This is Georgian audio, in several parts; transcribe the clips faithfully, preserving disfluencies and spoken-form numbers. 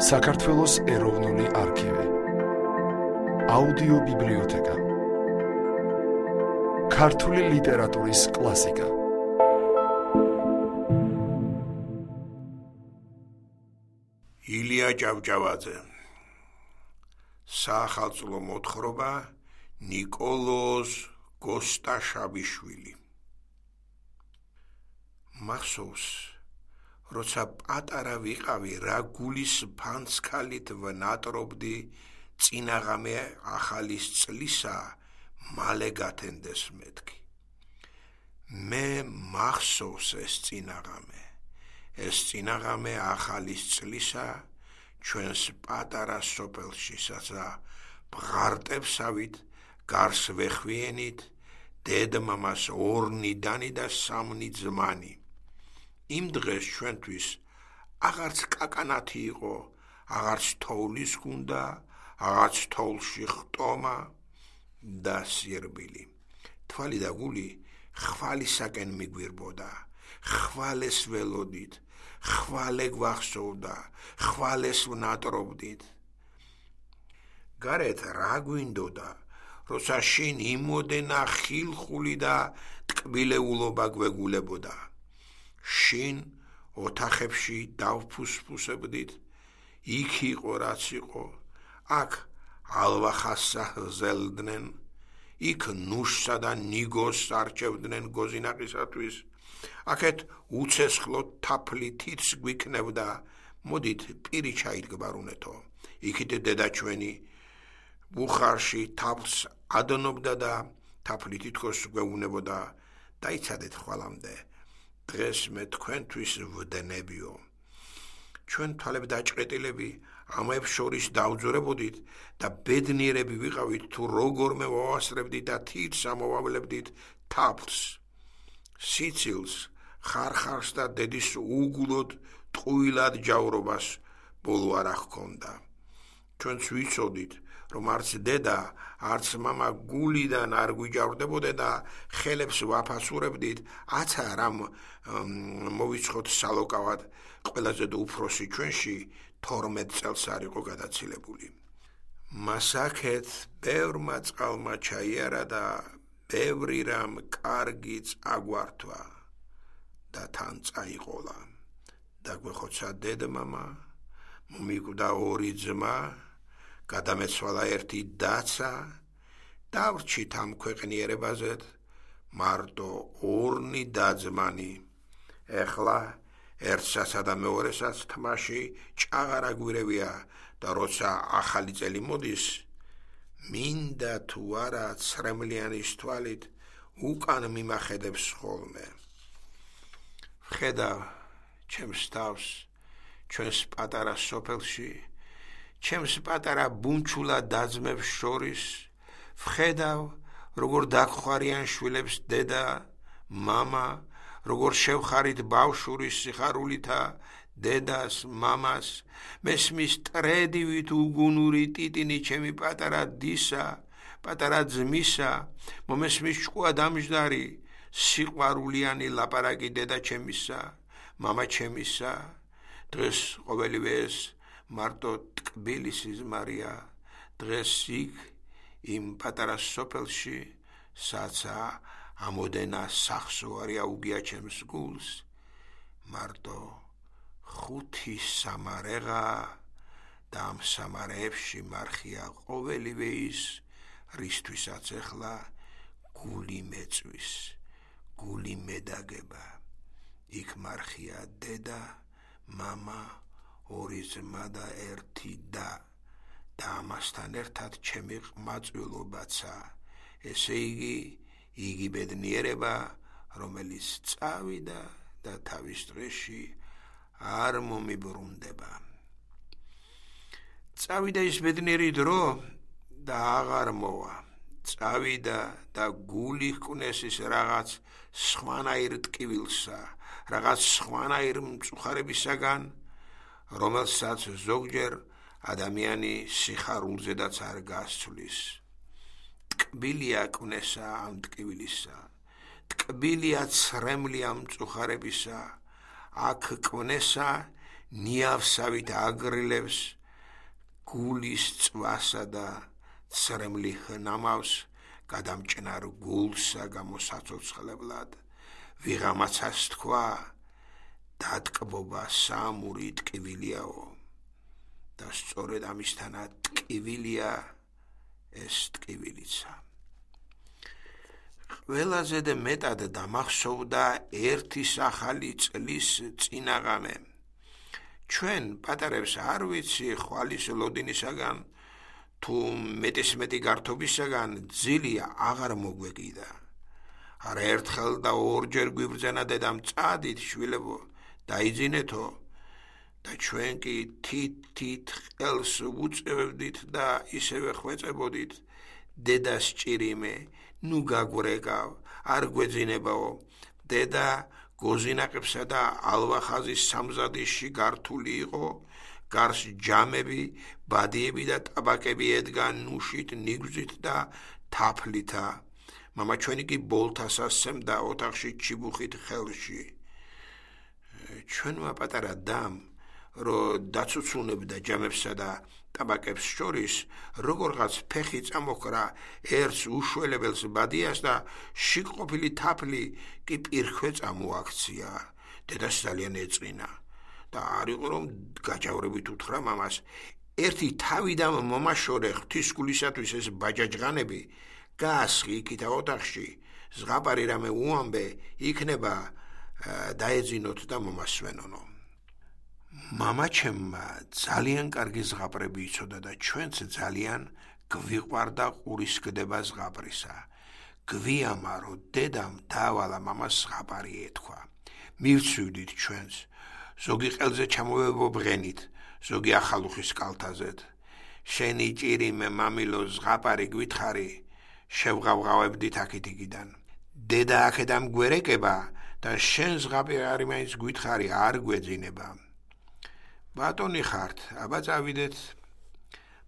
საქართველოს ეროვნული არქივი, აუდიო ბიბლიოთეკა, ქართული ლიტერატურის კლასიკა. ილია ჭავჭავაძე. საახალწლო მოთხრობა ნიკოლოზ გოსტაშაბიშვილი. მახსოვს, როცა პატარა ვიყავი, რა გულის ფანცქალით ვნატრობდი წინაღამე ახალის წლისა მალე გათენდეს მეთქი. მე მახსოვს ეს წინაღამე, ეს წინაღამე ახალის წლისა ჩვენს პატარა სოფელში, საცა ბღარტებსავით გარს ვეხვიენით, დედმამას ორნიდანი და სამნი ძმანი. იმ დღეს ჩვენთვის აღარც კაკანათი იყო, აღარც თოვლის გუნდა, აღარც თოვლში ხტომა და სირბილი. თვალი და გული ხვალისაკენ მიგვირბოდა, ხვალეს ველოდით, ხვალე გვახსოვდა, ხვალეს ვნატრობდით. გარეთ რა გვინდოდა, როცა შინ იმოდენა ხილხული და ტკბილეულობა გვეგულებოდა. შინ ოთახებში დავფუსფუსებდით, იქ იყო რაც იყო, აქ ალვახასა ჰზელდნენ, იქ ნუშსა და ნიგოს არჩევდნენ გოზინაყისათვის, აქეთ უცესხლო თაფლი თითს გვიქნევდა, მოდით პირი ჩაიდგბარუნეთო, იქით დედა ჩვენი ბუხარში თაფლს ადნობდა და თაფლი თითქოს გვეუნებოდა, დაიცადეთ ხვალამდე, დღეს მე თქვენთვის ვდნებიო. ჩვენ თვალებ დაჭყეტილები ამებს შორის დავძორებოდით და ბედნიერები ვიყავით, თუ როგორმე ვავასწრებდით და თითს ამოვავლებდით თაფლს. სიცილს, ხარხარს და დედის უგულოდ ტყუილად ჯავრობას ბოლო არ ჰქონდა. ჩვენც ვიცოდით, რომ არც დედა, არც მამა გულიდან არ გვიჯავრდებოდა და ხელებს ვაფასურებდით, აცა რამ მოვიცხოთ სალოკავად, ყველაზე და უფროსი ჩვენში თორმეტ წელს არ იყო გადაცილებული. მასაკეთ ბევრმა წყალმა ჩაიარა და ბევრი რამ კარგიც აგვართვა და თან წაიყოლა. დაგვეხოცა დედმამა, მომიკვდა ორი ძმა, გადამეცვალა ერთი დაცა, დავრჩით ამ ქვეყნიერებაზეთ მარტო ორნი დაძმანი. ეხლა ერთსასა და მეორესაც თმაში ჭაღარა გვირევია და როცა ახალი წელი მოდის, მინდა თუ არა ცრემლიანის თვალით უკან მიმახედებს ხოლმე. ვხედავ ჩემს თავს ჩვენს პატარა სოფელში, ჩემს პატარა ბუნჩულა დაძმებს შორის, ვხედავ როგორ დაგხვარიან შვილებს დედა, მამა, როგორ შევხარით ბავშვურის სიხარულითა დედას, მამას, მესმის ტრედივით უგუნური ტიტინი ჩემი პატარა დისა, პატარა ძმისა, მომესმის ჭკუა დამჯდარი, სიყვარულიანი ლაპარაკი დედა ჩემისა, მამა ჩემისა. დღეს ყოველივე ეს მარტო ტკბილისი ზმარია, დღეს იქ იმ პატარა სოფელში, საცა ამოდენა სახსოვარი აუგია ჩემს გულს, მარტო ხუთი სამარეღა და ამ სამარეებში მარხია ყოველივე ის, რისთვისაც ეხლა გული მეწვის, გული მედაგება. იქ მარხია დედა, მამა, ორი ძმა და ერთი და და ამასთან ერთად ჩემი ყმაწვილობაცა, ესე იგი იგი ბედნიერება, რომელიც წავიდა და თავის დღეში არ მომიბრუნდება. წავიდა ის ბედნიერი დრო და აღარ მოვა. წავიდა და გული ჰკვნეს ის რაღაც სხვანაირ ტკივილსა, რაღაც სხვანაირ მწუხარებისაგან, რომელსაც ზოგჯერ ადამიანი სიხარულზედაც არ გასცვლის. ტკბილია კვნესა ამ ტკივილისა, ტკბილია ცრემლი ამ მწუხარებისა, აქ კვნესა ნიავსავით აგრილებს გულის წვასა და ცრემლი ხნამავს გადამჭნარ გულსა გამოსაცოცხლებლად ვიღამაცას თქვა დატკბობა სამური ტკივილიაო და სწორედ ამისთანაც ტკივილია ეს ტკივილიცა ყველაზე და მეტად დამახსოვდა ერთი ახალი წლის წინაღამე ჩვენ პატარებს არ ვიცი ხვალის ლოდინისაგან თუ მეტისმეტი გართობისაგან ძილი აღარ მოგვეკიდა არაერთხელ და ორჯერ გვიბრძანა დედამ წადით შვილებო დაიძინეთო და ჩვენ კი თით-თით ყელს უწევდით და ისევე ხვეწებოდით დედას ჭირიმე ნუ გაგვრეკავ არ გვეძინებაო დედა გოზინაყებსა და ალვახაზის სამზადისში გართული იყო გარს ჯამები ბადიები და ტაბაკები ედგა ნუშით ნიგვზით და თაფლითა მამა ჩვენი კი ბოლთას ასცემდა ოთახში ჩიბუხით ხელში ჩვენმა პატარა დამ რომ დაცუცუნებდა ჯამებსა და ტაბაკებს შორის როგორღაც ფეხი წამოქრა ერთს უშველებელს ბადიას და შიგ-ყოფილი თაფლი კი პირქვე წამოაქცია დედას ძალიან ეწინა და არ იყო რომ გაჯავრებით უთხრა მამას ერთი თავიდან მომაშორე ღვთისგულისათვის ეს ბაჯაჯღანები გასხი იქით ოთახში ზღაპარი რამე უამბე იქნება დაეძინოთ და მომასვენონო მამა ჩემმა ძალიან კარგი ზღაპრები იცოდა და ჩვენც ძალიან გვიყვარდა ყურის გდება ზღაპრისა გვიამა რომ დედამ დაავალა მამას ზღაპარი ეთქვა მივცვიდით ჩვენც ზოგი ყელზე ჩამოვებობღენით ზოგი ახალუხის კალთაზეთ შენი ჭირიმე მამილო ზღაპარი გვითხარი შევღავღავებდით აქეთ-იქიდან დედა აქედამ გვერეკება და შენ ზღაპარი მაინც გვითხარი არ გვეძინება ბატონი ხართ აბა წავიდეთ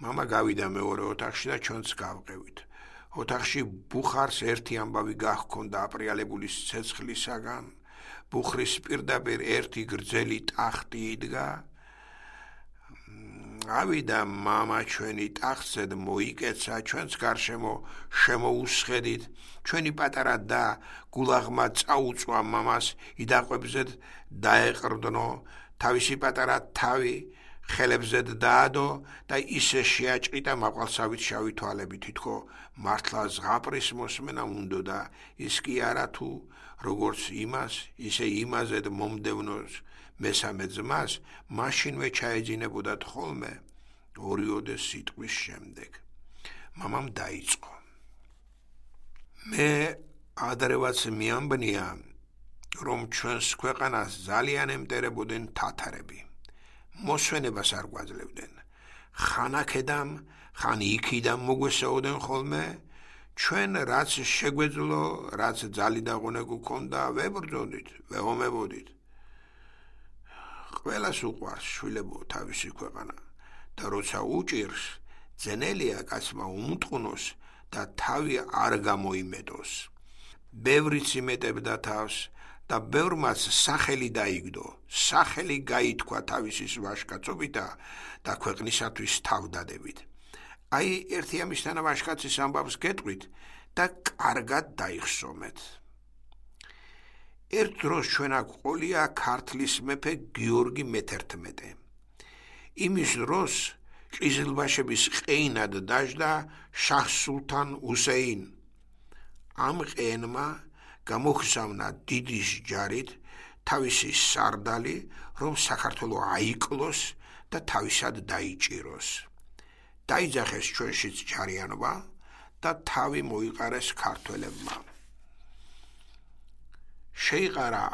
მამა გავიდა მეორე ოთახში და ჩვენც გავყევით ოთახში ბუხარს ერთი ამბავი გահქონდა აპრიალებული ცეცხლისაგან ბუხრის პირდაპირ ერთი გრძელი ტახტი იდგა ავიდა მამა ჩვენი ტახტზე მოიკეცა ჩვენც გარშემო შემოუსხედით ჩვენი პატარა და გულაღმა წაუწვა მამას იდაყვებზედ დაეყრდნო თავისი პატარა თავი ხელებზედ დაადო და ისე შეაჭრიდა მაყვალსავით შავი თვალები თითქო მართლა ზღაპრის მოსმენა უნდოდა ის კი არა თუ როგორც იმას ისე იმაზედ მომდევნოს მესამე ძმას მაშინვე ჩაეძინებოდათ ხოლმე ორიოდე სიტყვის შემდეგ მამამ დაიწყო მე ადრევაც მიამბნია რომ ჩვენს ქვეყანას ძალიან ემტერებოდნენ თათარები მოსვენებას არ გვაძლევდნენ ხან აქედამ ხან იქიდან მოგვესაუდნენ ხოლმე ჩვენ რაც შეგვეძლო რაც ძალი და ღონე გვქონდა ვებრძოდით ვეომებოდით ყველას უყვარს შვილებო თავისი ქვეყანა და როცა უჭირს ძენელია კაცმა უმტყუნოს და თავი არ გამოიმეტოს ბევრიც იმეტებდა თავს და ბევრმაც სახელი დაიგდო სახელი გაითქვა თავისის ვაჟკაცობითა და ქვეყნისათვის თავდადებით აი ერთი ამისთანა ვაჟკაცის ამბავს გეტყვით და კარგად დაიხსომეთ ერთ დროს ჩვენ აქ ყოლია ქართლის მეფე გიორგი მეთერთმეტე იმის დროს ყიზილბაშების ყეინად დაждდა შაჰ სულთან უსეინ ამ ყენმა გამოგზავნა დიდი ჯარით თავისი სარდალი რომ საქართველო აიკლოს და თავისად დაიჭიროს დაიძახეს ჩვენშიც ჯარიანობა და თავი მოიყარეს ქართველებმა შეიყარა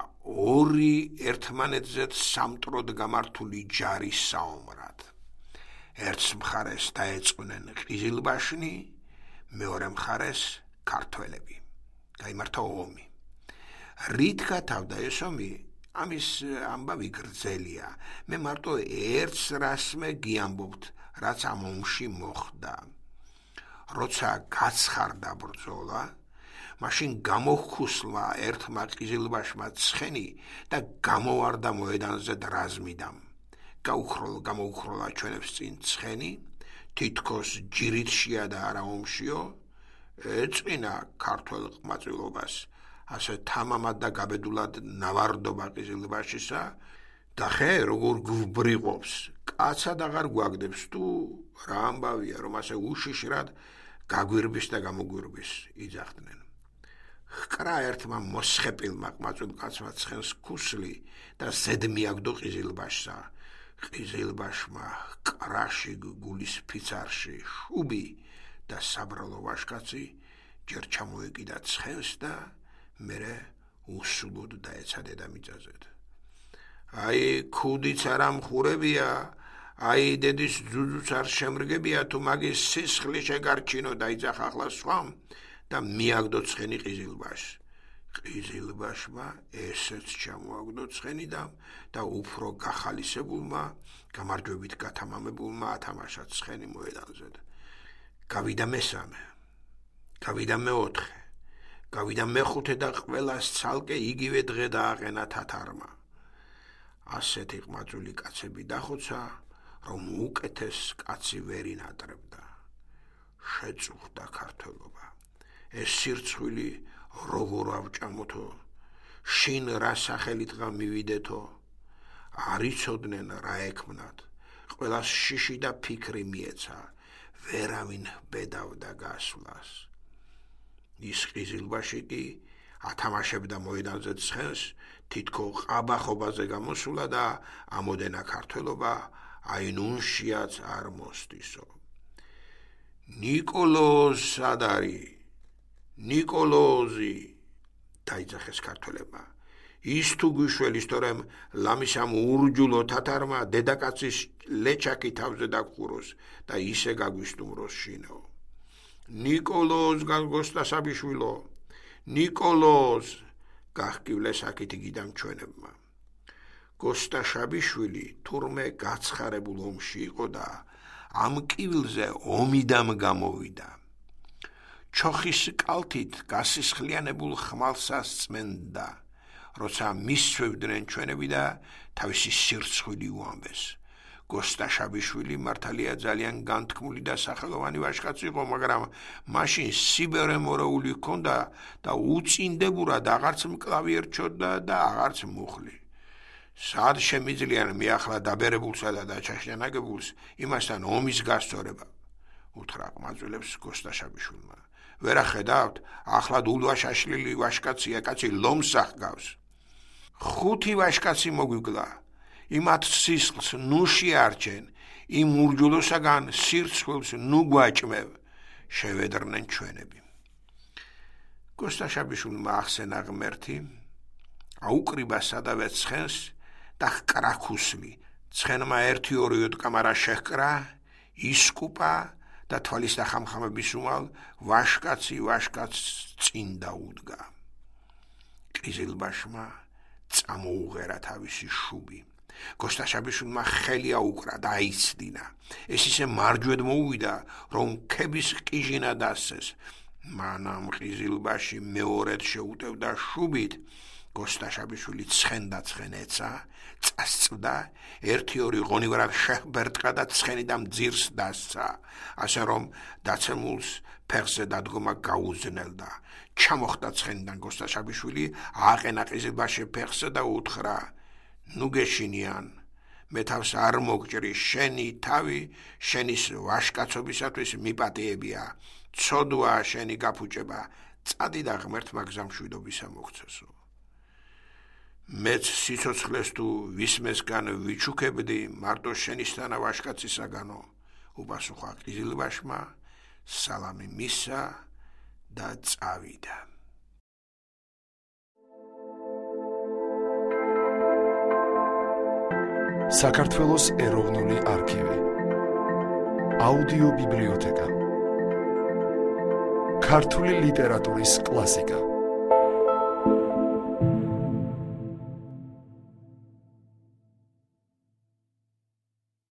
ორი ერთმანეთზე სამტროდ გამართული ჯარის საომრად ერთს მხარეს დაეწყნენ ყიზილბაშნი მეორე მხარეს ქართველები გაიმართა ომი რით გათავდა ეს ომი ამის ამბავი გრძელია მე მარტო ერთს რასმე გიამბობთ რაც ამ ომში მოხდა როცა გაცხარდა ბრძოლა მაშინ გამოხუსლა ერთმა ყიზილბაშმა ცხენი და გამოვარდა მოედანზე დრაზმიდან გაუხროლ გამოუხროლა ჩვენებს წინ ცხენი, თითქოს ჯირით შია და არა ომშიო, ეწინა ქართველ ყმაწვილობას, ასე თამამად და გაბედულად ნავარდობა ყიზილბაშისა და ხე როგორ გვბრიყვობს, კაცად აღარ გვაგდებს თუ რა ამბავია, რომ ასე უშიშრად გაგვირბის და გამოგვირბის იძახდნენ. ჰკრა ერთმა მოსხეპილმა ყმაწვილ კაცმა ცხენს ქუსლი და ზედ მიაგდო ყიზილბაშსა. ყიზილბაშმა კრაში გულის ფიცარში შუბი და საბრალო ვაშკაცი ჯერ ჩამოეკიდა ცხენს და მერე უსულოდ დაეცა დედამიწაზე. აი ქუდიც არ ამხურებია, აი დედის ძუძუც არ შემრგებია, თუ მაგის სისხლი შეგარჩინო და იძახა ახლა სხვამ და მიაგდო ცხენი ყიზილბაშს. ყიზილბაშმა ესეც ჩამოაგდო ცხენი და და უფრო გახალისებულმა, გამარჯვებით გათამამებულმა ათამაშა ცხენი მოედანზე. გავიდა მესამე, გავიდა მეოთხე, გავიდა მეხუთე და ყველას ცალკე იგივე დღე დააყენა თათარმა. ასეთი ყმაწვილი კაცები დახოცა, რომ უკეთეს კაცი ვერ ინატრებდა. შეწუხდა ქართველობა. ეს სირცხვილი როგორ ავჭამოთო, შინ რა სახელითღა მივიდეთო, არ იცოდნენ რა ექმნათ, ყველას შიში და ფიქრი მიეცა, ვერავინ ბედავდა გასვლას. ის ყიზილბაში კი ათამაშებდა მოედანზე ცხენს, თითქო ყაბახობაზე გამოსულა და ამოდენა ქართველობა აი ნუნშიაც არ მოსდისო. ნიკოლოზ სად არის? ნიკოლოზი დაიძახეს ქართველებმა. ის თუ გვიშველის, თორემ ლამისამ ურჯულო თათარმა დედაკაცის ლეჩაკი თავზე დაგხუროს და ისე გაგვისტუმროს შინო. ნიკოლოზ გალგოსტასაბიშვილო, ნიკოლოზ გახკივლეს აქეთ იგიდან ჩვენებმა. გოსტაშაბიშვილი თურმე გაცხარებულ ომში იყო და ამ კივილზე ომიდამ გამოვიდა. ჩოხის კალთით გასისხლიანებულ ხმალსას წმენდა, როცა მისცვევდნენ ჩვენები და თავისი სირცხვილი უამბეს. გოსტაშაბიშვილი მართალია ძალიან განთქმული და სახელოვანი ვაჟკაცი იყო, მაგრამ მაშინ სიბერე მორეული ჰქონდა და უწინდებურად აღარც მკლავი ერჩოდა და აღარც მუხლი. სად შემიძლიან მიახლა დაბერებულსა და დაჩაშენაგებულს იმასთან ომის გასწორება? უთხრა ყმაწვილებს გოსტაშაბიშვილმა. ვერა ხედავთ, ახლა ულვაშაშლილი ვაჟკაცია, კაცი ლომს ახგავს. ხუთი ვაჟკაცი მოგვიგლა. იმათ სისხლს ნუ შეარჩენ, იმ ურჯულოსაგან სირცხვილს ნუ გვაჭმევ, შევედრნენ ჩვენები. გოსტაშაბიშვილმა ახსენა ღმერთი, აუკრიბა სადავე ცხენს და ჰკრა ქუსლი. ცხენმა ერთი ორი ოდკამარა შეჰკრა, ისკუპა და თვალის და ხამხამების უმალ ვაჟკაცი ვაჟკაცს წინ დაუდგა. ყიზილბაშმა წამოუღერა თავისი შუბი. გოსტაშაბიშვილმა ხელი აუკრა და აიცდინა. ეს ისე მარჯვედ მოუვიდა, რომ ქების ყიჟინა დასცეს. მანამ ყიზილბაში მეორედ შეუტევდა შუბით. გოსტაშაბიშვილი ცხენდა ცხენ ეცა, წასწვდა, ერთი ორი ღონივარად შეჰბერტყა და ცხენი და მძირს დასცა, ასე რომ დაცემულს ფეხზე დადგომა გაუზნელდა. ჩამოხდა ცხენიდან გოსტაშაბიშვილი, ააყენა ყიზილბაში ფეხზე და უთხრა, ნუ გეშინიან, მე თავს არ მოგჭრი, შენი თავი შენის ვაჟკაცობისათვის მიპატიებია, ცოდვაა შენი გაფუჭება, წადი და ღმერთმა გზამშვიდობისა მოგცესო. მეც სიცოცხლეს თუ ვისმესგან ვიჩუქებდი, მარტო შენისთანა ვაჟკაცისაგანო, უპასუხა ყიზილბაშმა, სალამი მისცა და წავიდა. საქართველოს ეროვნული არქივი. აუდიო ბიბლიოთეკა. ქართული ლიტერატურის კლასიკა.